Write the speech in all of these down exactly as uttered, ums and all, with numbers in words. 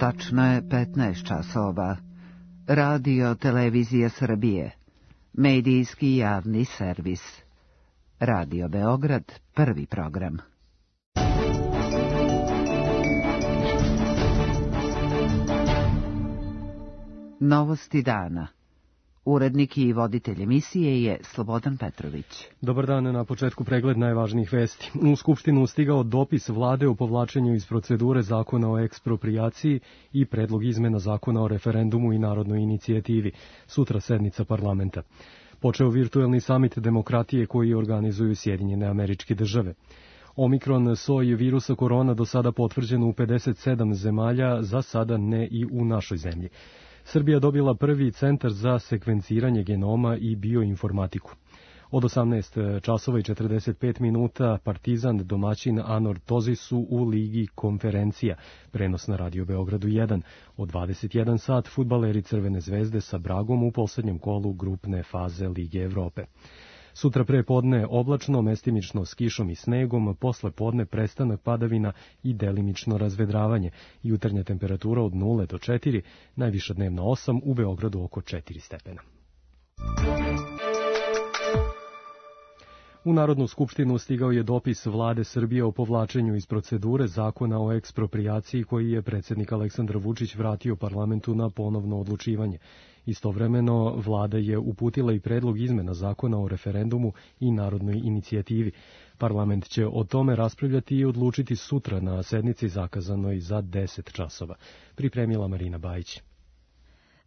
Tačno je petnaest časova. Radio Televizija Srbije. Medijski javni servis. Radio Beograd, prvi program. Novosti dana. Urednik i voditelj emisije je Slobodan Petrović. Dobar dan, na početku pregled najvažnijih vesti. U Skupštinu stigao dopis vlade o povlačenju iz procedure zakona o eksproprijaciji i predlog izmena zakona o referendumu i narodnoj inicijativi. Sutra sednica parlamenta. Počeo virtuelni samit demokratije koji organizuju Sjedinjene Američke Države. Omikron soj virusa korona do sada potvrđen u pedeset sedam zemalja, za sada ne i u našoj zemlji. Srbija dobila prvi centar za sekvenciranje genoma i bioinformatiku. Od osamnaest časova i četrdeset pet minuta Partizan domaćin Anor Tozisu u Ligi konferencija, prenos na Radio Beogradu jedan. Od dvadeset jedan sat fudbaleri Crvene zvezde sa Bragom u poslednjem kolu grupne faze Lige Evrope. Sutra pre podne oblačno, mestimično s kišom i snegom, posle podne prestanak padavina i delimično razvedravanje. Jutarnja temperatura od nula do četiri, najviša dnevna osam, u Beogradu oko četiri stepena. U Narodnu skupštinu stigao je dopis vlade Srbije o povlačenju iz procedure zakona o eksproprijaciji koji je predsjednik Aleksandar Vučić vratio parlamentu na ponovno odlučivanje. Istovremeno, vlada je uputila i predlog izmena zakona o referendumu i narodnoj inicijativi. Parlament će o tome raspravljati i odlučiti sutra na sednici zakazanoj za deset časova. Pripremila Marina Bajić.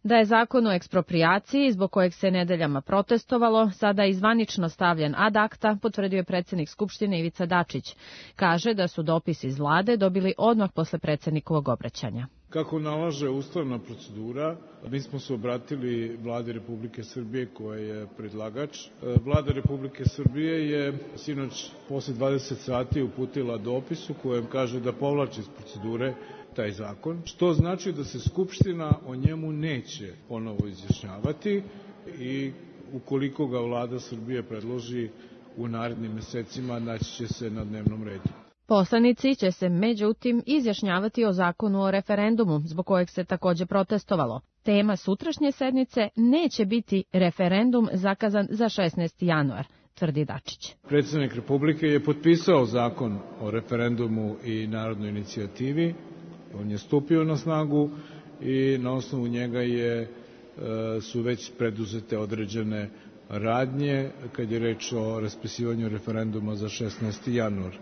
Da je zakon o eksproprijaciji, zbog kojeg se nedeljama protestovalo, sada je zvanično stavljen ad acta, potvrdio je predsjednik Skupštine Ivica Dačić. Kaže da su dopis iz vlade dobili odmah posle predsjednikovog obraćanja. Kako nalaže ustavna procedura, mi smo se obratili Vladi Republike Srbije koja je predlagač. Vlada Republike Srbije je sinoć posle dvadeset sati uputila dopis u kojem kaže da povlači iz procedure taj zakon, što znači da se Skupština o njemu neće ponovo izjašnjavati i ukoliko ga Vlada Srbije predloži u narednim mesecima, naći će se na dnevnom redu. Poslanici će se međutim izjašnjavati o zakonu o referendumu, zbog kojeg se takođe protestovalo. Tema sutrašnje sednice neće biti referendum zakazan za šesnaesti januar, tvrdi Dačić. Predsjednik Republike je potpisao zakon o referendumu i narodnoj inicijativi. On je stupio na snagu i na osnovu njega je, su već preduzete određene radnje kad je reč o raspisivanju referenduma za šesnaesti januar.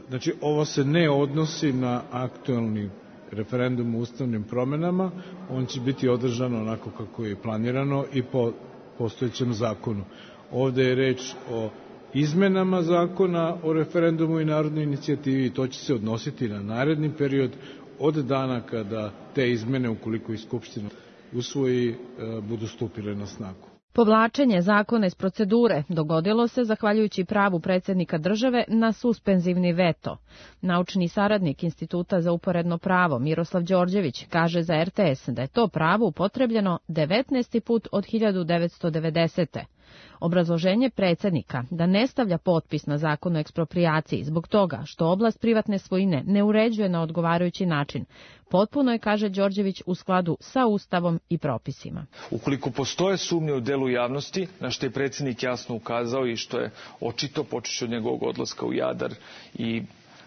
Znači, ovo se ne odnosi na aktuelni referendum o ustavnim promenama, on će biti održan onako kako je planirano i po postojećem zakonu. Ovde je reč o izmenama zakona o referendumu i narodnoj inicijativi i to će se odnositi na naredni period od dana kada te izmene, ukoliko i Skupština usvoji, budu stupile na snagu. Povlačenje zakona iz procedure dogodilo se zahvaljujući pravu predsjednika države na suspenzivni veto. Naučni saradnik Instituta za uporedno pravo Miroslav Đorđević kaže za er te es da je to pravo upotrebljeno devetnaesti put od hiljadu devetsto devedesete. Obrazloženje predsjednika da ne stavlja potpis na zakon o eksproprijaciji zbog toga što oblast privatne svojine ne uređuje na odgovarajući način, potpuno je, kaže Đorđević, u skladu sa Ustavom i propisima. Ukoliko postoje sumnje u delu javnosti, na što je predsjednik jasno ukazao i što je očito počeši od njegovog odlaska u Jadar i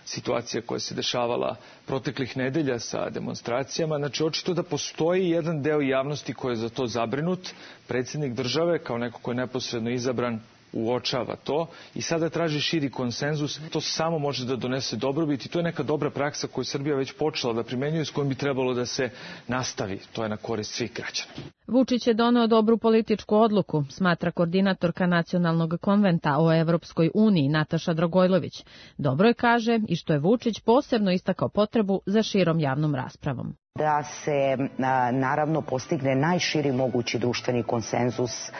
situacija koja se dešavala proteklih nedelja sa demonstracijama, znači očito da postoji jedan deo javnosti koji je za to zabrinut. Predsjednik države, kao neko ko je neposredno izabran, uočava to i sada traži širi konsenzus. To samo može da donese dobrobit i to je neka dobra praksa koju Srbija već počela da primenjuje, s kojom bi trebalo da se nastavi. To je na korist svih građana. Vučić je doneo dobru političku odluku, smatra koordinatorka Nacionalnog konventa o Evropskoj uniji Nataša Dragojlović. Dobro je, kaže, i što je Vučić posebno istakao potrebu za širom javnom raspravom. Da se naravno postigne najširi mogući društveni konsenzus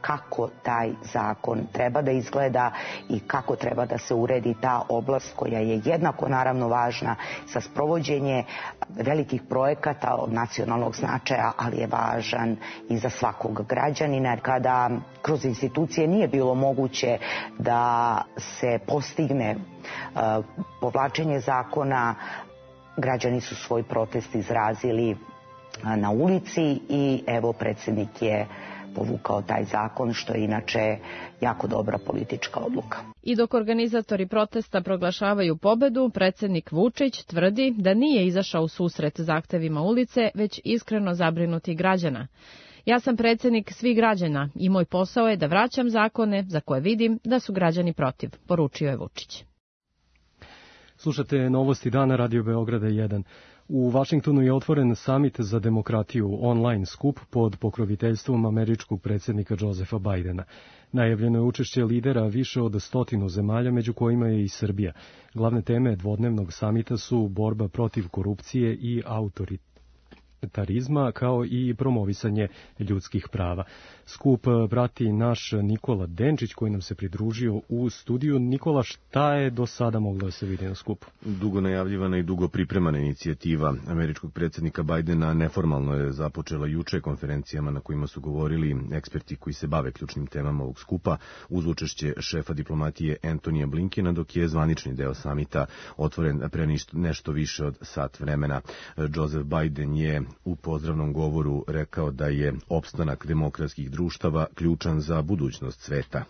kako taj zakon treba da izgleda i kako treba da se uredi ta oblast koja je jednako naravno važna za sprovođenje velikih projekata od nacionalnog značaja, ali je važan i za svakog građanina. Kada kroz institucije nije bilo moguće da se postigne povlačenje zakona, građani su svoj protest izrazili na ulici i evo predsjednik je povukao taj zakon, što je inače jako dobra politička odluka. I dok organizatori protesta proglašavaju pobedu, predsjednik Vučić tvrdi da nije izašao u susret zahtevima ulice, već iskreno zabrinuti građana. Ja sam predsjednik svih građana i moj posao je da vraćam zakone za koje vidim da su građani protiv, poručio je Vučić. Slušate Novosti dana Radio Beograda jedan. U Vašingtonu je otvoren samit za demokratiju, online skup pod pokroviteljstvom američkog predsjednika Josepha Bidena. Najavljeno je učešće lidera više od stotinu zemalja, među kojima je i Srbija. Glavne teme dvodnevnog samita su borba protiv korupcije i autoritarizma, kao i promovisanje ljudskih prava. Skup prati naš Nikola Denčić, koji nam se pridružio u studiju. Nikola, šta je do sada moglo da se vidi na skupu? Dugo najavljivana i dugo pripremana inicijativa američkog predsjednika Bidena neformalno je započela juče konferencijama na kojima su govorili eksperti koji se bave ključnim temama ovog skupa, uz učešće šefa diplomatije Antonija Blinkena, dok je zvanični deo samita otvoren pre nešto više od sat vremena. Joseph Biden je u pozdravnom govoru rekao da je opstanak demokratskih društava ključan za budućnost sveta.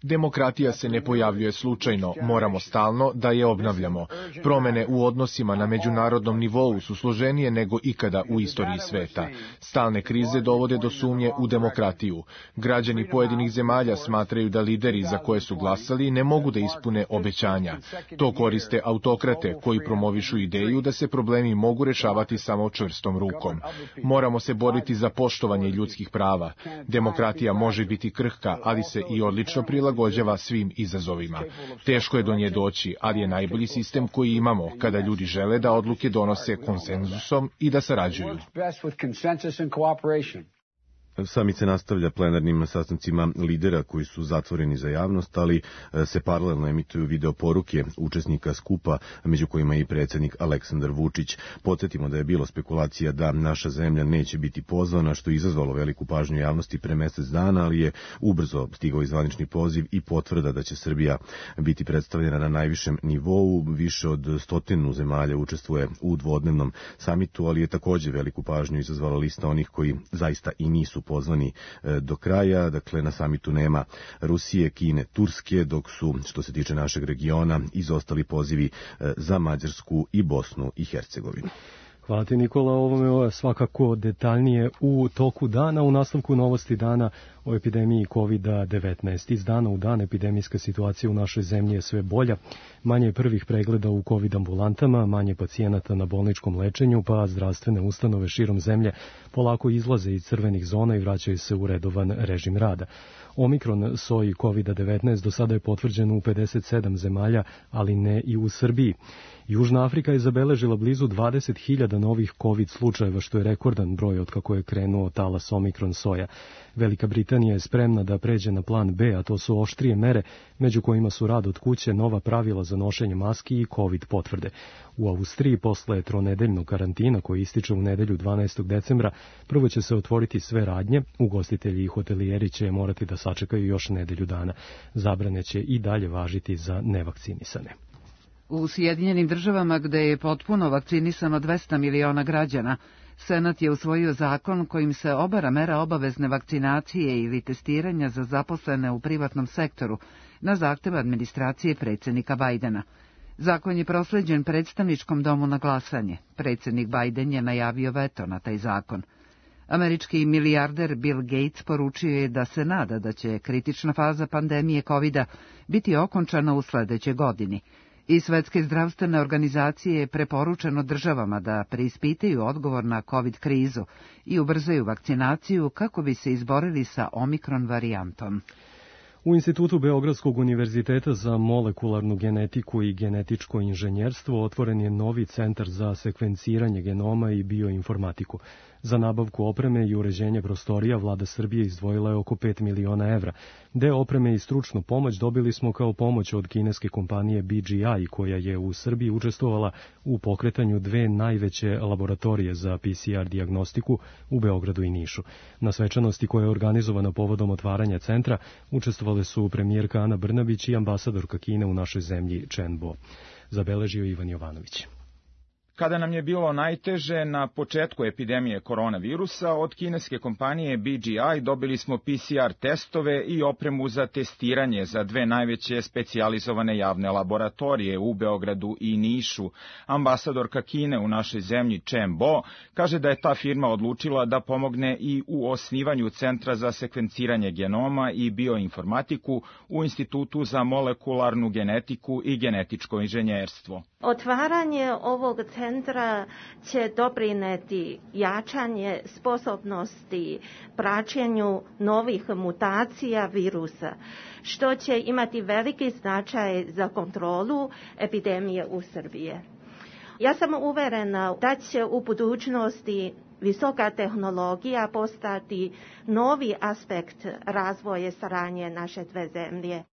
Demokratija se ne pojavljuje slučajno, moramo stalno da je obnavljamo. Promene u odnosima na međunarodnom nivou su složenije nego ikada u istoriji sveta. Stalne krize dovode do sumnje u demokratiju. Građani pojedinih zemalja smatraju da lideri za koje su glasali ne mogu da ispune obećanja. To koriste autokrate koji promovišu ideju da se problemi mogu rešavati samo čvrstom rukom. Moramo se boriti za poštovanje ljudskih prava. Demokratija može biti krhka, ali se i odlično prilagođava svim izazovima. Teško je do nje doći, ali je najbolji sistem koji imamo kada ljudi žele da odluke donose konsenzusom i da sarađuju. Samit se nastavlja plenarnim sastancima lidera koji su zatvoreni za javnost, ali se paralelno emituju video poruke učesnika skupa, među kojima je i predsjednik Aleksandar Vučić. Podsjetimo da je bilo spekulacija da naša zemlja neće biti pozvana, što je izazvalo veliku pažnju javnosti pre mesec dana, ali je ubrzo stigao i zvanični poziv i potvrda da će Srbija biti predstavljena na najvišem nivou. Više od stotinu zemalja učestvuje u dvodnevnom samitu, ali je također veliku pažnju izazvala lista onih koji zaista i nisu pozvani do kraja. Dakle, na samitu nema Rusije, Kine, Turske, dok su, što se tiče našeg regiona, izostali pozivi za Mađarsku i Bosnu i Hercegovinu. Hvala ti, Nikola, ovome je svakako detaljnije u toku dana. U nastavku Novosti dana o epidemiji kovid devetnaest. Iz dana u dan epidemijska situacija u našoj zemlji je sve bolja. Manje je prvih pregleda u kovid ambulantama, manje pacijenata na bolničkom lečenju, pa zdravstvene ustanove širom zemlje polako izlaze iz crvenih zona i vraćaju se u redovan režim rada. Omikron soj kovid devetnaest do sada je potvrđen u pedeset sedam zemalja, ali ne i u Srbiji. Južna Afrika je zabeležila blizu dvadeset hiljada novih COVID slučajeva, što je rekordan broj od kako je krenuo talas Omikron soja. Velika Britanija je spremna da pređe na plan B, a to su oštrije mere, među kojima su rad od kuće, nova pravila za nošenje maski i COVID potvrde. U Austriji, posle tronedeljnog karantina koji ističe u nedelju dvanaestog decembra, prvo će se otvoriti sve radnje, ugostitelji i hotelijeri će morati da sačekaju još nedelju dana. Zabrane će i dalje važiti za nevakcinisane. U Sjedinjenim državama, gde je potpuno vakcinisano dvesta miliona građana, Senat je usvojio zakon kojim se obara mera obavezne vakcinacije ili testiranja za zaposlene u privatnom sektoru na zahtev administracije predsjednika Bajdena. Zakon je prosleđen predstavničkom domu na glasanje. Predsjednik Bajden je najavio veto na taj zakon. Američki milijarder Bill Gates poručio je da se nada da će kritična faza pandemije kovida biti okončana u sledećoj godini. I Svetske zdravstvene organizacije je preporučeno državama da preispitaju odgovor na COVID krizu i ubrzaju vakcinaciju kako bi se izborili sa Omikron varijantom. U Institutu Beogradskog univerziteta za molekularnu genetiku i genetičko inženjerstvo otvoren je novi centar za sekvenciranje genoma i bioinformatiku. Za nabavku opreme i uređenje prostorija vlada Srbije izdvojila je oko pet miliona evra. Deo opreme i stručnu pomoć dobili smo kao pomoć od kineske kompanije B G I, koja je u Srbiji učestvovala u pokretanju dve najveće laboratorije za P C R dijagnostiku u Beogradu i Nišu. Na svečanosti koja je organizovana povodom otvaranja centra učestvovali potpisale su premijerka Ana Brnabić i ambasadorka Kine u našoj zemlji Chen Bo. Zabeležio Ivan Jovanović. Kada nam je bilo najteže na početku epidemije koronavirusa, od kineske kompanije B G I dobili smo P C R testove i opremu za testiranje za dve najveće specijalizovane javne laboratorije u Beogradu i Nišu. Ambasadorka Kine u našoj zemlji Chen Bo kaže da je ta firma odlučila da pomogne i u osnivanju Centra za sekvenciranje genoma i bioinformatiku u Institutu za molekularnu genetiku i genetičko inženjerstvo. Otvaranje ovog centra će doprineti jačanje sposobnosti praćenju novih mutacija virusa, što će imati veliki značaj za kontrolu epidemije u Srbiji. Ja sam uverena da će u budućnosti visoka tehnologija postati novi aspekt razvoja saradnje naše dve zemlje.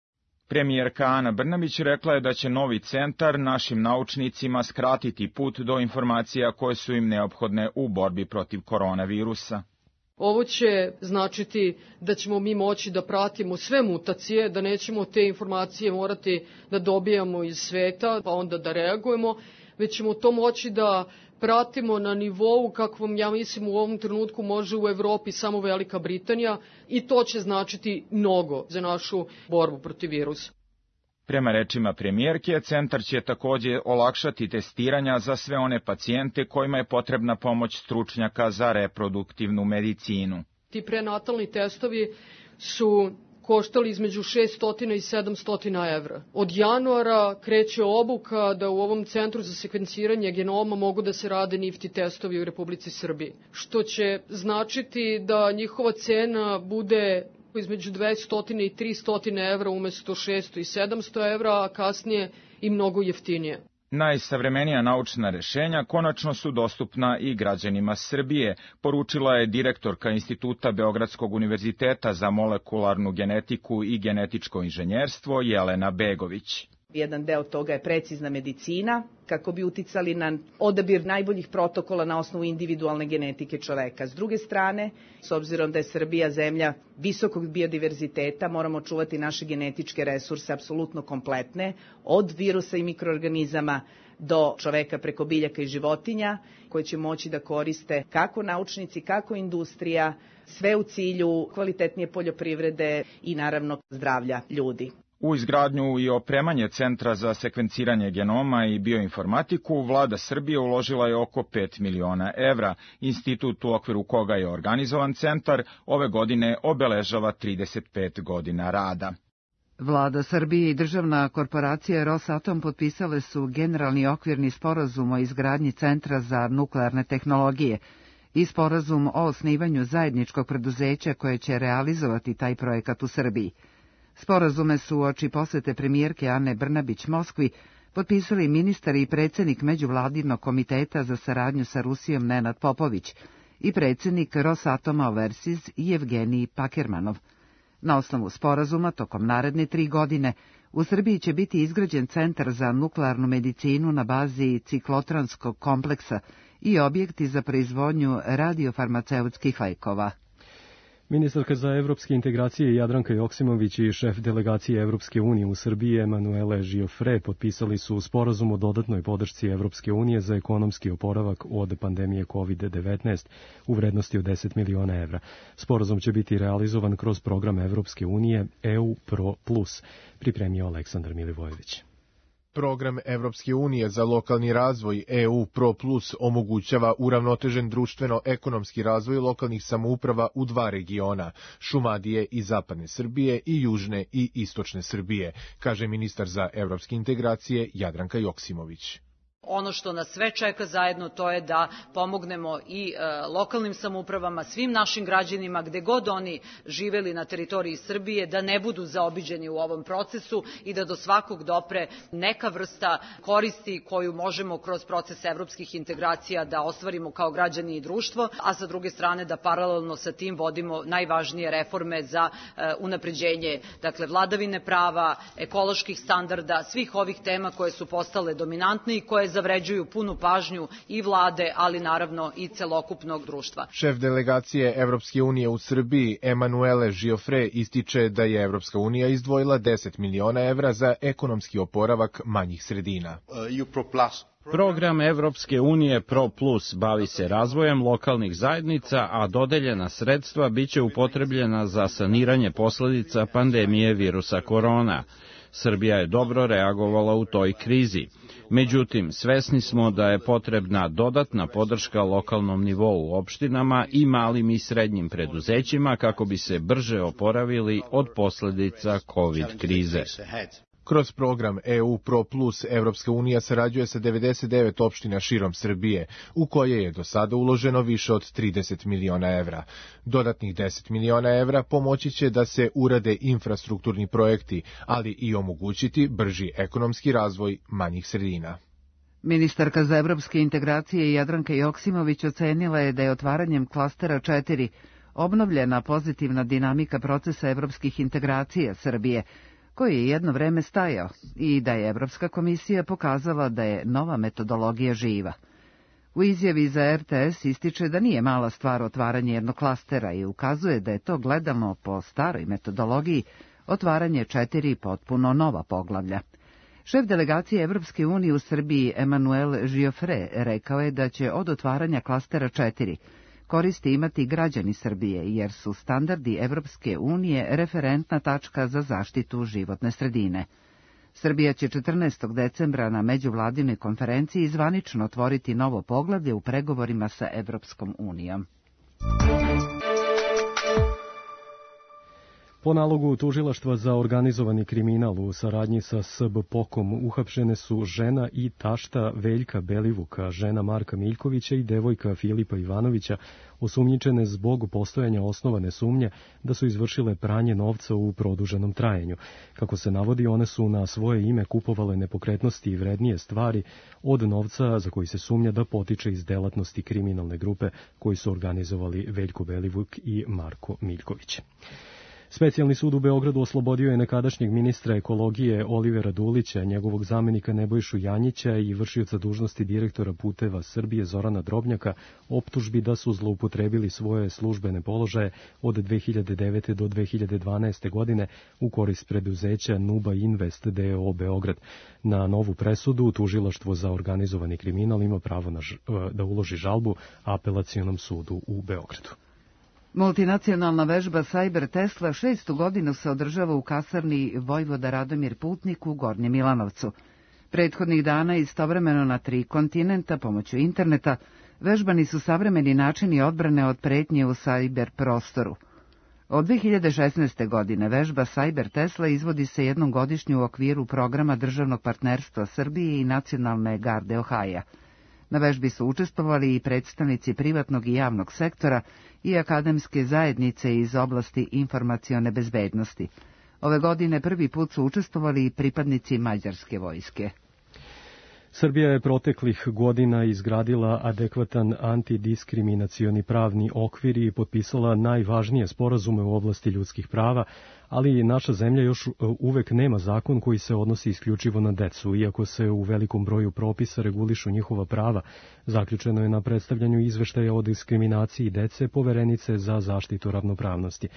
Premijerka Ana Brnabić rekla je da će novi centar našim naučnicima skratiti put do informacija koje su im neophodne u borbi protiv koronavirusa. Ovo će značiti da ćemo mi moći da pratimo sve mutacije, da nećemo te informacije morati da dobijamo iz sveta, pa onda da reagujemo, već ćemo to moći da pratimo na nivou kakvom, ja mislim, u ovom trenutku može u Evropi samo Velika Britanija i to će značiti mnogo za našu borbu protiv virusa. Prema rečima premijerke, centar će takođe olakšati testiranja za sve one pacijente kojima je potrebna pomoć stručnjaka za reproduktivnu medicinu. Ti prenatalni testovi su koštali između šesto i sedamsto evra. Od januara kreće obuka da u ovom centru za sekvenciranje genoma mogu da se rade nifty testovi u Republici Srbiji, što će značiti da njihova cena bude između dvesta i trista evra umesto šesto i sedamsto evra, a kasnije i mnogo jeftinije. Najsavremenija naučna rešenja konačno su dostupna i građanima Srbije, poručila je direktorka Instituta Beogradskog univerziteta za molekularnu genetiku i genetičko inženjerstvo Jelena Begović. Jedan deo toga je precizna medicina, kako bi uticali na odabir najboljih protokola na osnovu individualne genetike čoveka. S druge strane, s obzirom da je Srbija zemlja visokog biodiverziteta, moramo čuvati naše genetičke resurse apsolutno kompletne, od virusa i mikroorganizama do čoveka preko biljaka i životinja, koje će moći da koriste kako naučnici, kako industrija, sve u cilju kvalitetnije poljoprivrede i naravno zdravlja ljudi. U izgradnju i opremanje Centra za sekvenciranje genoma i bioinformatiku vlada Srbije uložila je oko pet miliona evra. Institut u okviru koga je organizovan centar ove godine obeležava trideset pet godina rada. Vlada Srbije i državna korporacija Rosatom potpisale su generalni okvirni sporazum o izgradnji Centra za nuklearne tehnologije i sporazum o osnivanju zajedničkog preduzeća koje će realizovati taj projekat u Srbiji. Sporazume su uoči posete premijerke Ane Brnabić Moskvi potpisali ministar i predsednik Međuvladinog komiteta za saradnju sa Rusijom Nenad Popović i predsednik Rosatoma Overseas Jevgenij Pakermanov. Na osnovu sporazuma, tokom naredne tri godine, u Srbiji će biti izgrađen Centar za nuklearnu medicinu na bazi ciklotronskog kompleksa i objekti za proizvodnju radiofarmaceutskih lekova. Ministarka za evropske integracije Jadranka Joksimović i šef delegacije Evropske unije u Srbiji Emanuele Giofre potpisali su sporazum o dodatnoj podršci Evropske unije za ekonomski oporavak od pandemije kovid devetnaest u vrednosti od deset miliona evra. Sporazum će biti realizovan kroz program Evropske unije E U Pro Plus, pripremio Aleksandar Milivojević. Program Evropske unije za lokalni razvoj E U Pro Plus omogućava uravnotežen društveno-ekonomski razvoj lokalnih samouprava u dva regiona, Šumadije i Zapadne Srbije i Južne i Istočne Srbije, kaže ministar za evropske integracije Jadranka Joksimović. Ono što nas sve čeka zajedno to je da pomognemo i e, lokalnim samoupravama, svim našim građanima gde god oni živeli na teritoriji Srbije, da ne budu zaobiđeni u ovom procesu i da do svakog dopre neka vrsta koristi koju možemo kroz proces evropskih integracija da ostvarimo kao građani i društvo, a sa druge strane da paralelno sa tim vodimo najvažnije reforme za e, unapređenje, dakle vladavine prava, ekoloških standarda, svih ovih tema koje su postale dominantne i koje zavređuju punu pažnju i vlade, ali naravno i celokupnog društva. Šef delegacije Evropske unije u Srbiji, Emanuele Giofre, ističe da je Evropska unija izdvojila deset miliona evra za ekonomski oporavak manjih sredina. Program Evropske unije Pro Plus bavi se razvojem lokalnih zajednica, a dodeljena sredstva biće upotrebljena za saniranje posledica pandemije virusa korona. Srbija je dobro reagovala u toj krizi. Međutim, svesni smo da je potrebna dodatna podrška lokalnom nivou u opštinama i malim i srednjim preduzećima kako bi se brže oporavili od posledica COVID krize. Kroz program E U Pro Plus Evropska unija sarađuje sa devedeset devet opština širom Srbije, u koje je do sada uloženo više od trideset miliona evra. Dodatnih deset miliona evra pomoći će da se urade infrastrukturni projekti, ali i omogućiti brži ekonomski razvoj manjih sredina. Ministarka za evropske integracije Jadranka Joksimović ocenila je da je otvaranjem klastera četiri obnovljena pozitivna dinamika procesa evropskih integracija Srbije, koji je jedno vreme stajao, i da je Evropska komisija pokazala da je nova metodologija živa. U izjavi za R T S ističe da nije mala stvar otvaranje jednog klastera i ukazuje da je to gledano po staroj metodologiji otvaranje četiri potpuno nova poglavlja. Šef delegacije Evropske unije u Srbiji Emanuele Giofre rekao je da će od otvaranja klastera četiri koristi imati građani Srbije, jer su standardi Evropske unije referentna tačka za zaštitu životne sredine. Srbija će četrnaestog decembra na međuvladinoj konferenciji zvanično otvoriti novo poglavlje u pregovorima sa Evropskom unijom. Po nalogu Tužilaštva za organizovani kriminal u saradnji sa S B P O K-om uhapšene su žena i tašta Veljka Belivuka, žena Marka Miljkovića i devojka Filipa Ivanovića, osumnjičene zbog postojanja osnovane sumnje da su izvršile pranje novca u produženom trajanju. Kako se navodi, one su na svoje ime kupovale nepokretnosti i vrednije stvari od novca za koji se sumnja da potiče iz delatnosti kriminalne grupe koji su organizovali Veljko Belivuk i Marko Miljković. Specijalni sud u Beogradu oslobodio je nekadašnjeg ministra ekologije Olivera Dulića, njegovog zamenika Nebojšu Janjića i vršioca dužnosti direktora Puteva Srbije Zorana Drobnjaka optužbi da su zloupotrebili svoje službene položaje od dve hiljade devete do dve hiljade dvanaeste. godine u korist preduzeća Nuba Invest D O O Beograd. Na novu presudu Tužilaštvo za organizovani kriminal ima pravo na ž... da uloži žalbu Apelacionom sudu u Beogradu. Multinacionalna vežba Cyber Tesla šestu godinu se održava u kasarni Vojvoda Radomir Putnik u Gornjem Milanovcu. Prethodnih dana istovremeno na tri kontinenta pomoću interneta vežbani su savremeni načini odbrane od pretnje u cyber prostoru. Od dve hiljade šesnaeste. godine vežba Cyber Tesla izvodi se jednom godišnju u okviru programa državnog partnerstva Srbije i Nacionalne garde Ohaja. Na vežbi su učestvovali i predstavnici privatnog i javnog sektora i akademske zajednice iz oblasti informacione bezbednosti. Ove godine prvi put su učestvovali i pripadnici mađarske vojske. Srbija je proteklih godina izgradila adekvatan antidiskriminacioni pravni okvir i potpisala najvažnije sporazume u oblasti ljudskih prava, ali naša zemlja još uvek nema zakon koji se odnosi isključivo na decu, iako se u velikom broju propisa regulišu njihova prava. Zaključeno je na predstavljanju izveštaja o diskriminaciji dece Poverenice za zaštitu ravnopravnosti.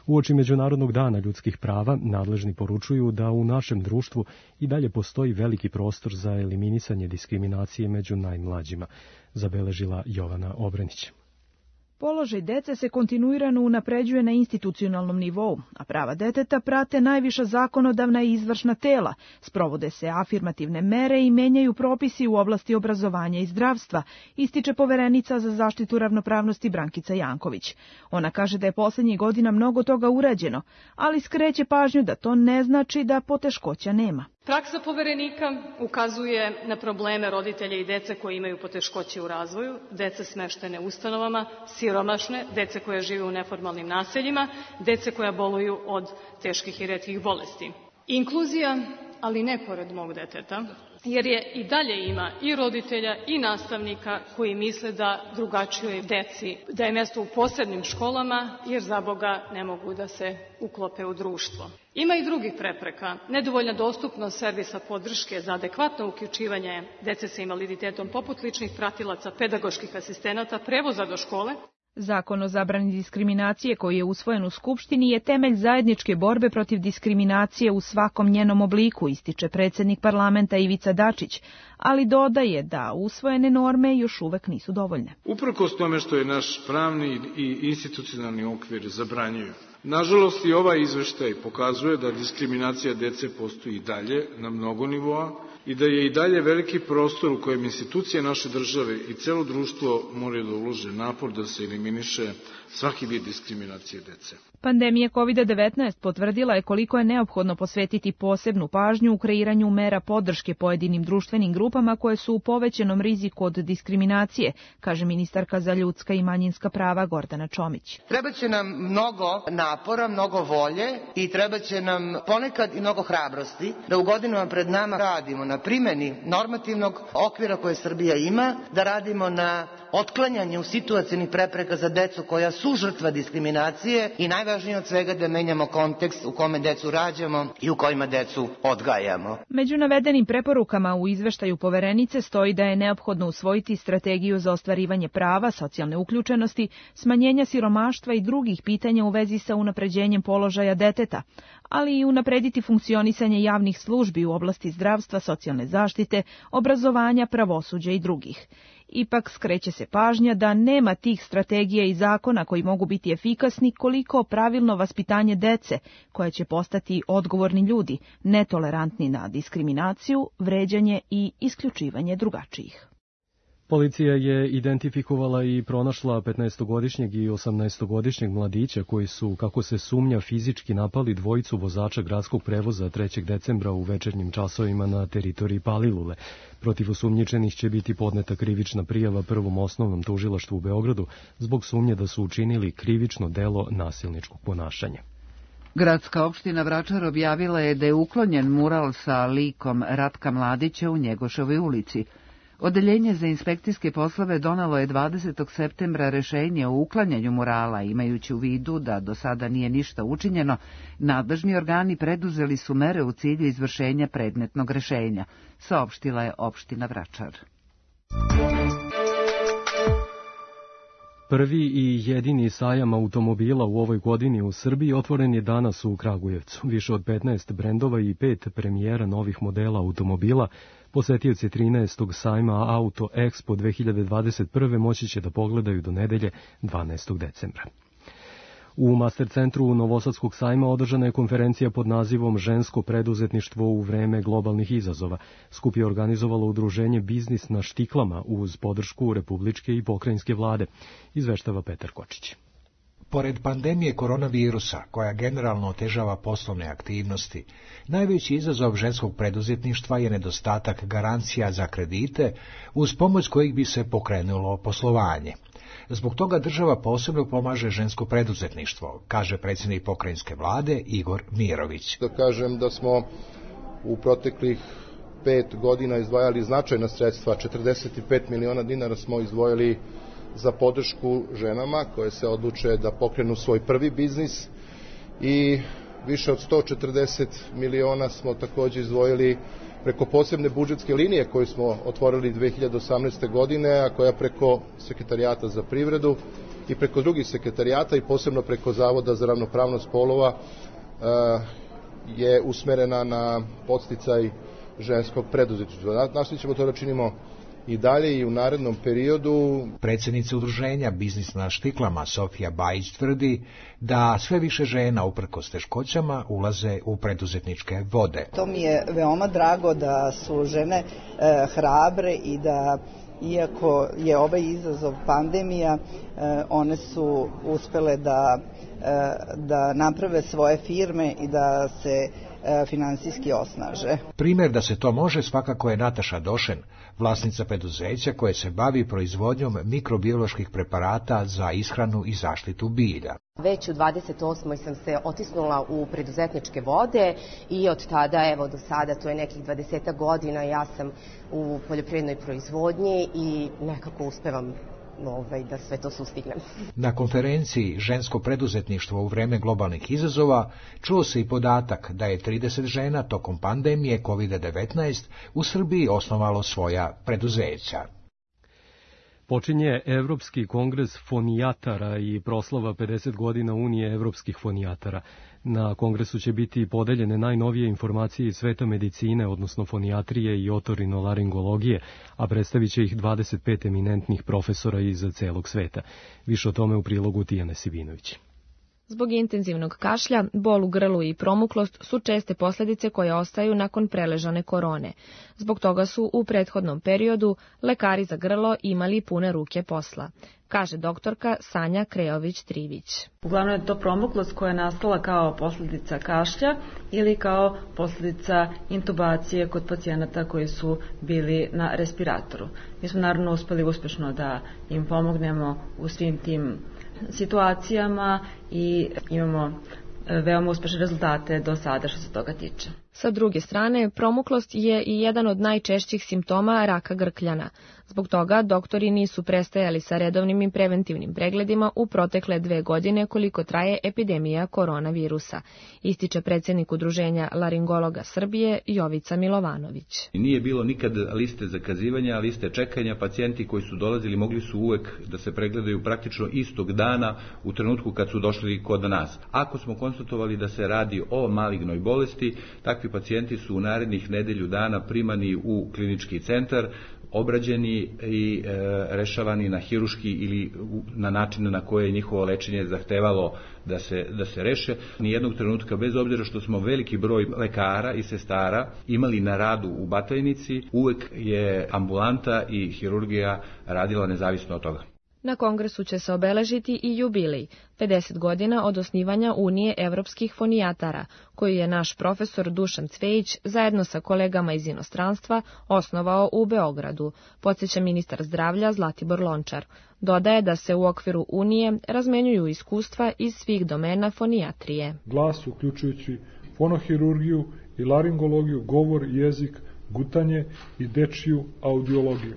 Uoči Međunarodnog dana ljudskih prava nadležni poručuju da u našem društvu i dalje postoji veliki prostor za eliminisanje diskriminacije među najmlađima, zabeležila Jovana Obrenić. Položaj dece se kontinuirano unapređuje na institucionalnom nivou, a prava deteta prate najviša zakonodavna i izvršna tela, sprovode se afirmativne mere i menjaju propisi u oblasti obrazovanja i zdravstva, ističe Poverenica za zaštitu ravnopravnosti Brankica Janković. Ona kaže da je poslednjih godina mnogo toga urađeno, ali skreće pažnju da to ne znači da poteškoća nema. Praksa Poverenika ukazuje na probleme roditelja i dece koji imaju poteškoće u razvoju, dece smeštene u ustanovama, siromašne, dece koja žive u neformalnim naseljima, dece koja boluju od teških i retkih bolesti. Inkluzija ali ne pored mog deteta, jer je i dalje ima i roditelja i nastavnika koji misle da drugačijoj deci da je mesto u posebnim školama, jer za Boga ne mogu da se uklope u društvo. Ima i drugih prepreka. Nedovoljna dostupnost servisa podrške za adekvatno uključivanje dece sa invaliditetom, poput ličnih pratilaca, pedagoških asistenata, prevoza do škole. Zakon o zabrani diskriminacije koji je usvojen u Skupštini je temelj zajedničke borbe protiv diskriminacije u svakom njenom obliku, ističe predsjednik parlamenta Ivica Dačić, ali dodaje da usvojene norme još uvek nisu dovoljne. Uprkos tome što je naš pravni i institucionalni okvir zabranjuju. Nažalost, i ovaj izveštaj pokazuje da diskriminacija dece postoji i dalje na mnogo nivoa i da je i dalje veliki prostor u kojem institucije naše države i celo društvo moraju da ulože napor da se eliminiše svaki vid diskriminacije dece. Pandemija kovid devetnaest potvrdila je koliko je neophodno posvetiti posebnu pažnju u kreiranju mera podrške pojedinim društvenim grupama koje su u povećanom riziku od diskriminacije, kaže ministarka za ljudska i manjinska prava Gordana Čomić. Trebaće nam mnogo napora, mnogo volje i trebaće nam ponekad i mnogo hrabrosti da u godinama pred nama radimo na primjeni normativnog okvira koje Srbija ima, da radimo na otklanjanju situacionih prepreka za decu koja su žrtva diskriminacije i najvažnije od svega da menjamo kontekst u kome decu rađamo i u kojima decu odgajamo. Među navedenim preporukama u izveštaju poverenice stoji da je neophodno usvojiti strategiju za ostvarivanje prava, socijalne uključenosti, smanjenja siromaštva i drugih pitanja u vezi sa unapređenjem položaja deteta, ali i unaprediti funkcionisanje javnih službi u oblasti zdravstva, socijalne zaštite, obrazovanja, pravosuđa i drugih. Ipak skreće se pažnja da nema tih strategija i zakona koji mogu biti efikasni koliko pravilno vaspitanje dece, koja će postati odgovorni ljudi, netolerantni na diskriminaciju, vređanje i isključivanje drugačijih. Policija je identifikovala i pronašla petnaestogodišnjeg i osamnaestogodišnjeg mladića koji su, kako se sumnja, fizički napali dvojicu vozača gradskog prevoza trećeg decembra u večernjim časovima na teritoriji Palilule. Protiv osumnjičenih će biti podneta krivična prijava Prvom osnovnom tužilaštvu u Beogradu zbog sumnje da su učinili krivično delo nasilničkog ponašanja. Gradska opština Vračar objavila je da je uklonjen mural sa likom Ratka Mladića u Njegoševoj ulici. Odeljenje za inspekcijske poslove donelo je dvadesetog septembra rešenje o uklanjanju murala, imajući u vidu da do sada nije ništa učinjeno. Nadležni organi preduzeli su mere u cilju izvršenja predmetnog rešenja, saopštila je opština Vračar. Prvi i jedini sajam automobila u ovoj godini u Srbiji otvoren je danas u Kragujevcu. Više od petnaest brendova i pet premijera novih modela automobila posetioci trinaestog sajma Auto Expo dve hiljade dvadeset prve moći će da pogledaju do nedelje dvanaestog decembra. U Master centru Novosadskog sajma održana je konferencija pod nazivom Žensko preduzetništvo u vreme globalnih izazova. Skup je organizovalo udruženje Biznis na štiklama uz podršku republičke i pokrajinske vlade, izveštava Petar Kočić. Pored pandemije koronavirusa, koja generalno otežava poslovne aktivnosti, najveći izazov ženskog preduzetništva je nedostatak garancija za kredite, uz pomoć kojih bi se pokrenulo poslovanje. Zbog toga država posebno pomaže žensko preduzetništvo, kaže predsjednik pokrajinske vlade Igor Mirović. Da kažem da smo u proteklih pet godina izdvajali značajna sredstva, četrdeset pet miliona dinara smo izdvojili za podršku ženama koje se odluče da pokrenu svoj prvi biznis i više od sto četrdeset miliona smo također izdvojili preko posebne budžetske linije koju smo otvorili dve hiljade osamnaeste. godine, a koja preko Sekretarijata za privredu i preko drugih sekretarijata i posebno preko Zavoda za ravnopravnost polova je usmerena na podsticaj ženskog preduzetništva. Nastavit ćemo to da činimo i dalje i u narednom periodu. Predsjednica udruženja Biznis na štiklama Sofija Bajić tvrdi da sve više žena uprkos teškoćama ulaze u preduzetničke vode. To mi je veoma drago da su žene e, hrabre i da iako je ovaj izazov pandemija, e, one su uspele da, e, da naprave svoje firme i da se finansijski osnaže. Primjer da se to može svakako je Nataša Došen, vlasnica preduzeća koje se bavi proizvodnjom mikrobioloških preparata za ishranu i zaštitu bilja. Već u dvadeset osmoj sam se otisnula u preduzetničke vode i od tada, evo do sada, to je nekih dvadesetak godina, ja sam u poljoprivrednoj proizvodnji i nekako uspevam ovaj, da sve to sustignem. Na konferenciji Žensko preduzetništvo u vreme globalnih izazova čuo se i podatak da je trideset žena tokom pandemije kovid devetnaest u Srbiji osnovalo svoja preduzeća. Počinje Evropski kongres fonijatara i proslava pedeset godina Unije evropskih fonijatara. Na kongresu će biti podeljene najnovije informacije iz sveta medicine, odnosno fonijatrije i otorinolaringologije, a predstavit će ih dvadeset pet eminentnih profesora iz celog sveta. Više o tome u prilogu Tijane Sivinović. Zbog intenzivnog kašlja, bol u grlu i promuklost su česte posljedice koje ostaju nakon preležane korone. Zbog toga su u prethodnom periodu lekari za grlo imali pune ruke posla, kaže doktorka Sanja Krejović-Trivić. Uglavnom je to promuklost koja je nastala kao posljedica kašlja ili kao posljedica intubacije kod pacijenata koji su bili na respiratoru. Mi smo naravno uspeli uspješno da im pomognemo u svim tim situacijama i imamo veoma uspešne rezultate do sada što se toga tiče. Sa druge strane, promuklost je i jedan od najčešćih simptoma raka grkljana. Zbog toga doktori nisu prestajali sa redovnim i preventivnim pregledima u protekle dve godine koliko traje epidemija koronavirusa, ističe predsjednik Udruženja laringologa Srbije Jovica Milovanović. Nije bilo nikad liste zakazivanja, liste čekanja, pacijenti koji su dolazili mogli su uvek da se pregledaju praktično istog dana u trenutku kad su došli kod nas. Ako smo konstatovali da se radi o malignoj bolesti, takvi pacijenti su u narednih nedelju dana primani u klinički centar, obrađeni i e, rešavani na hiruški ili na način na koje je njihovo lečenje zahtevalo da se, da se reše. Nijednog trenutka, bez obzira što smo veliki broj lekara i sestara imali na radu u Batajnici, uvek je ambulanta i hirurgija radila nezavisno od toga. Na kongresu će se obeležiti i jubilej, pedeset godina od osnivanja Unije evropskih fonijatara, koju je naš profesor Dušan Cvejić zajedno sa kolegama iz inostranstva osnovao u Beogradu, podsjeća ministar zdravlja Zlatibor Lončar. Dodaje da se u okviru Unije razmenjuju iskustva iz svih domena fonijatrije. Glas, uključujući fonohirurgiju i laringologiju, govor, jezik, gutanje i dečiju audiologiju.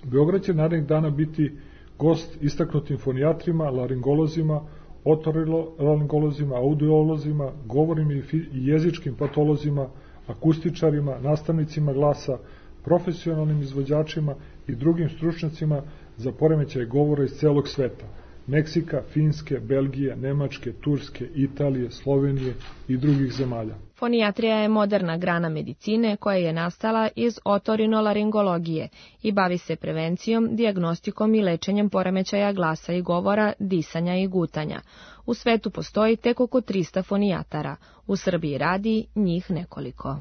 Beograd će narednih dana biti gost istaknutim fonijatrima, laringolozima, otorinolaringolozima, audiolozima, govornim i jezičkim patolozima, akustičarima, nastavnicima glasa, profesionalnim izvođačima i drugim stručnjacima za poremećaj govora iz celog sveta, Meksika, Finske, Belgije, Nemačke, Turske, Italije, Slovenije i drugih zemalja. Fonijatrija je moderna grana medicine koja je nastala iz otorinolaringologije i bavi se prevencijom, dijagnostikom i lečenjem poremećaja glasa i govora, disanja i gutanja. U svetu postoji tek oko trista fonijatara, u Srbiji radi njih nekoliko.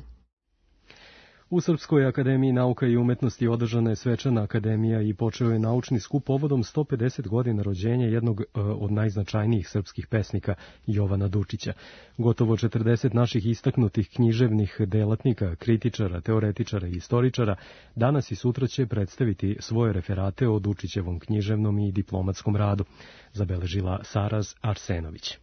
U Srpskoj akademiji nauka i umetnosti održana je svečana akademija i počeo je naučni skup povodom sto pedeset godina rođenja jednog od najznačajnijih srpskih pesnika, Jovana Dučića. Gotovo četrdeset naših istaknutih književnih delatnika, kritičara, teoretičara i istoričara danas i sutra će predstaviti svoje referate o Dučićevom književnom i diplomatskom radu, zabeležila Saraz Arsenović.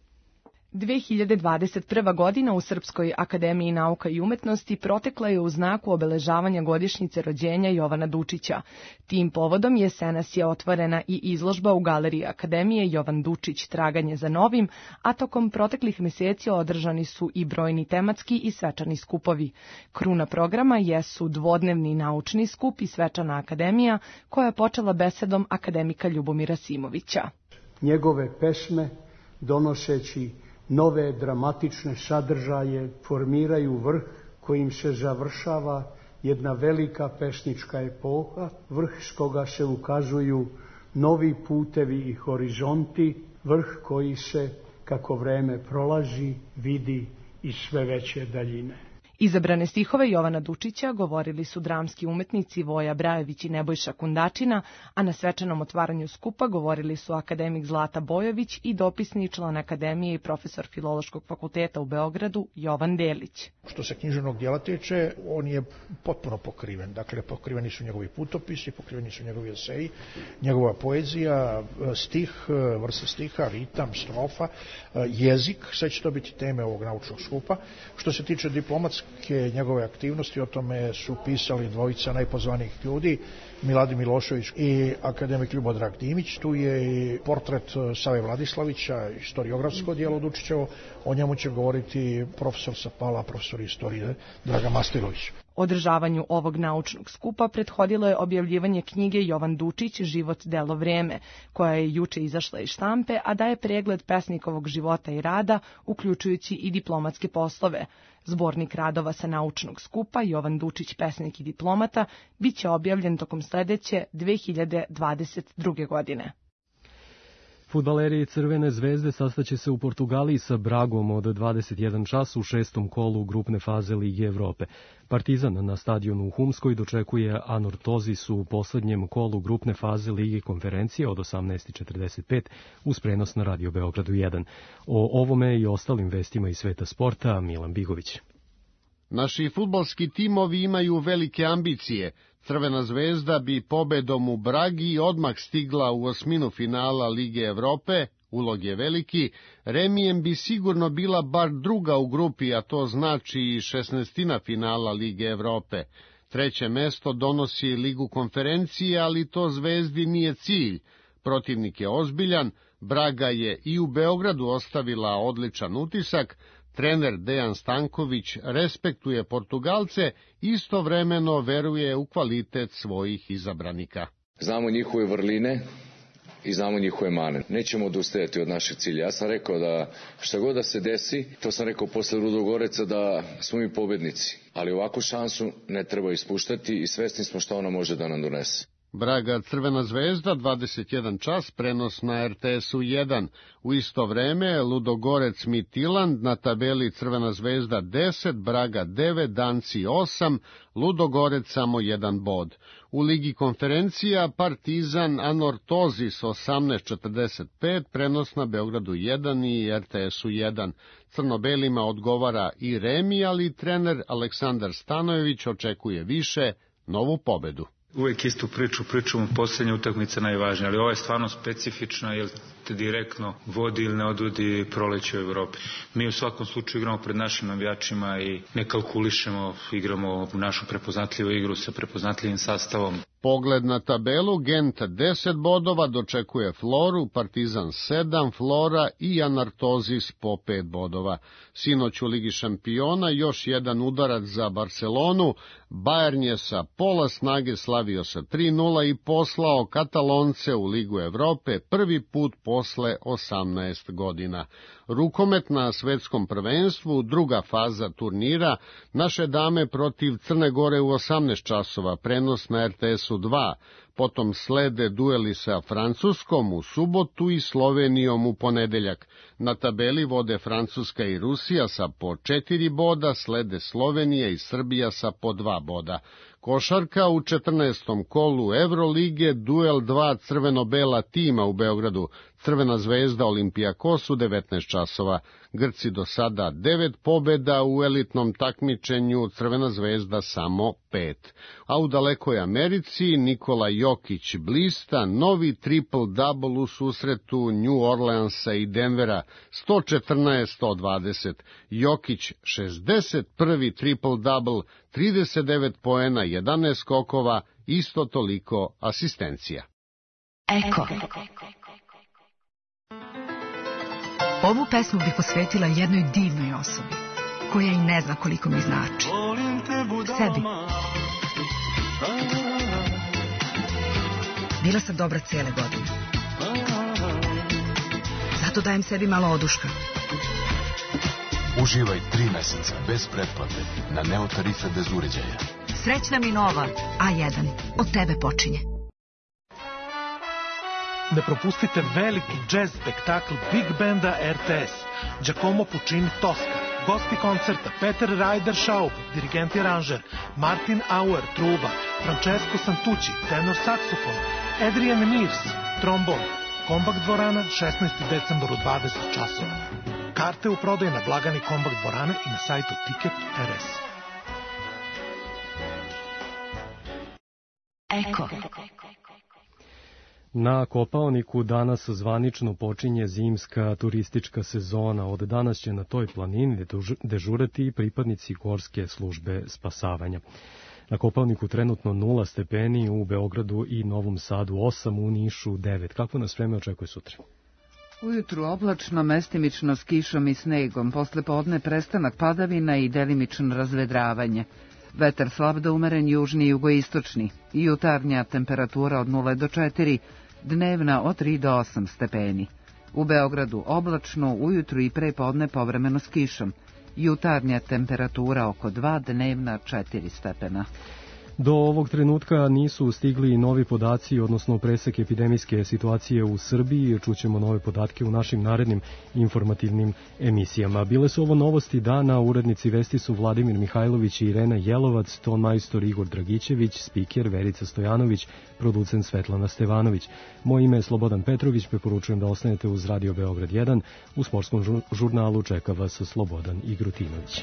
dve hiljade dvadeset prva. godina u Srpskoj akademiji nauka i umetnosti protekla je u znaku obeležavanja godišnjice rođenja Jovana Dučića. Tim povodom jesenas je otvorena i izložba u galeriji Akademije Jovan Dučić traganje za novim, a tokom proteklih meseci održani su i brojni tematski i svečani skupovi. Kruna programa jesu dvodnevni naučni skup i svečana akademija koja je počela besedom akademika Ljubomira Simovića. Njegove pesme, donoseći nove dramatične sadržaje, formiraju vrh kojim se završava jedna velika pesnička epoha, vrh s koga se ukazuju novi putevi i horizonti, vrh koji se, kako vreme prolazi, vidi iz sve veće daljine. Izabrane stihove Jovana Dučića govorili su dramski umetnici Voja Brajević i Nebojša Kundačina, a na svečanom otvaranju skupa govorili su akademik Zlata Bojović i dopisni član Akademije i profesor Filološkog fakulteta u Beogradu Jovan Delić. Što se književnog dijela tiče, on je potpuno pokriven. Dakle, pokriveni su njegovi putopisi, pokriveni su njegovi eseji, njegova poezija, stih, vrste stiha, ritam, strofa, jezik, sve će to biti teme ovog naučnog skupa. Što se tiče diplomatske njegove aktivnosti, o tome su pisali dvojica najpozvanijih ljudi, Miladin Milošević i akademik Ljubodrag Dimić. Tu je i portret Save Vladislavića, historiografsko dijelo Dučićevo, o njemu će govoriti profesor Sapala, profesor istorije Draga Mastilović. Održavanju ovog naučnog skupa prethodilo je objavljivanje knjige Jovan Dučić, Život, delo, vreme, koja je juče izašla iz štampe, a daje pregled pesnikovog života i rada, uključujući i diplomatske poslove. Zbornik radova sa naučnog skupa Jovan Dučić, pesnik i diplomata, bit će objavljen tokom sledeće dve hiljade dvadeset druge. godine. Fudbaleri Crvene zvezde sastaće se u Portugaliji sa Bragom od dvadeset jedan čas u šestom kolu grupne faze Lige Evrope. Partizan na stadionu u Humskoj dočekuje Anortozis u poslednjem kolu grupne faze Lige konferencije od osamnaest četrdeset pet uz prenos na Radio Beogradu jedan. O ovome i ostalim vestima iz sveta sporta Milan Bigović. Naši fudbalski timovi imaju velike ambicije. Crvena zvezda bi pobedom u Bragi odmah stigla u osminu finala Lige Evrope, ulog je veliki, remijem bi sigurno bila bar druga u grupi, a to znači i šesnaestina finala Lige Evrope. Treće mesto donosi Ligu konferencije, ali to zvezdi nije cilj. Protivnik je ozbiljan, Braga je i u Beogradu ostavila odličan utisak, trener Dejan Stanković respektuje Portugalce, istovremeno veruje u kvalitet svojih izabranika. Znamo njihove vrline i znamo njihove mane. Nećemo odustajati od našeg cilja. Ja sam rekao da šta god da se desi, to sam rekao posle Ludogoreca, da smo mi pobednici. Ali ovakvu šansu ne treba ispuštati i svesni smo šta ona može da nam donese. Braga Crvena zvezda, dvadeset jedan čas, prenos na er te esu jedan. U isto vreme Ludogorec Midtjylland, na tabeli Crvena zvezda deset, Braga devet, Danci osam, Ludogorec samo jedan bod. U Ligi konferencija Partizan Anortozis osamnaest četrdeset pet, prenos na Beogradu jedan i er te esu jedan. Crnobelima odgovara i remi, ali trener Aleksandar Stanojević očekuje više, novu pobedu. Uvijek istu priču, pričamo posljednje utakmice najvažnije, ali ovo je stvarno specifično jer te direktno vodi ili ne odvodi proleće u Evropi. Mi u svakom slučaju igramo pred našim navijačima i ne kalkulišemo, igramo našu prepoznatljivu igru sa prepoznatljivim sastavom. Pogled na tabelu, Gent deset bodova, dočekuje Floru, Partizan sedam, Flora i Anortozis po pet bodova. Sinoć u Ligi šampiona još jedan udarac za Barcelonu, Bayern je sa pola snage slavio sa tri nula i poslao Katalonce u Ligu Evrope prvi put posle osamnaest godina. Rukomet na svetskom prvenstvu, druga faza turnira, naše dame protiv Crne Gore u osamnaest časova, prenos na er te esu dva, potom slede dueli sa Francuskom u subotu i Slovenijom u ponedeljak. Na tabeli vode Francuska i Rusija sa po četiri boda, slede Slovenija i Srbija sa po dva boda. Košarka u četrnaestom kolu Evrolige, duel dva crveno-bela tima u Beogradu, Crvena zvezda Olimpijakos u devetnaest časova. Grci do sada devet pobeda u elitnom takmičenju, Crvena zvezda samo pet. A u dalekoj Americi Nikola Jokić blista novi triple-double u susretu New Orleansa i Denvera, sto četrnaest sto dvadeset. Jokić šezdeset prvi triple-double, trideset devet poena, jedanaest skokova, isto toliko asistencija. Eko. Ovu pesmu bih posvetila jednoj divnoj osobi, koja i ne zna koliko mi znači. Sebi. Bila sam dobra cijele godine. Zato dajem sebi malo oduška. Uživaj tri meseca bez pretplate na Neo tarife bez uređaja. Srećna mi nova A jedan. Od tebe počinje. Ne propustite veliki džez spektakl Big Banda er te es, Giacomo Puccini Tosca, Gosti koncerta Peter Ryder Schaub, dirigent i aranžer, Martin Auer, truba, Francesco Santucci, tenor saksofon, Adrian Mears, trombon. Kombakt dvorana, šesnaestog decembra u dvadeset časova. Karte u prodaju na blagani Kombakt dvorane i na sajtu Ticket R S. Eko. Na Kopaoniku danas zvanično počinje zimska turistička sezona. Od danas će na toj planini dežurati i pripadnici gorske službe spasavanja. Na Kopaoniku trenutno nula stepeni, u Beogradu i Novom Sadu osam, u Nišu devet. Kako nas vreme očekuje sutra? Ujutru oblačno, mestimično s kišom i snegom, posle podne prestanak padavina i delimično razvedravanje. Vetar slab do umeren južni i jugoistočni, jutarnja temperatura od nula do četiri, dnevna od tri do osam stepeni. U Beogradu oblačno, ujutru i pre podne povremeno s kišom, jutarnja temperatura oko dva, dnevna četiri stepena. Do ovog trenutka nisu stigli novi podaci, odnosno presek epidemijske situacije u Srbiji. Čućemo nove podatke u našim narednim informativnim emisijama. Bile su ovo novosti dana, urednici vesti su Vladimir Mihajlović i Irena Jelovac, ton majstor Igor Dragićević, spiker Verica Stojanović, producent Svetlana Stevanović. Moje ime je Slobodan Petrović, preporučujem da ostanete uz Radio Beograd jedan. U sportskom žurnalu čeka vas Slobodan Igrutinović.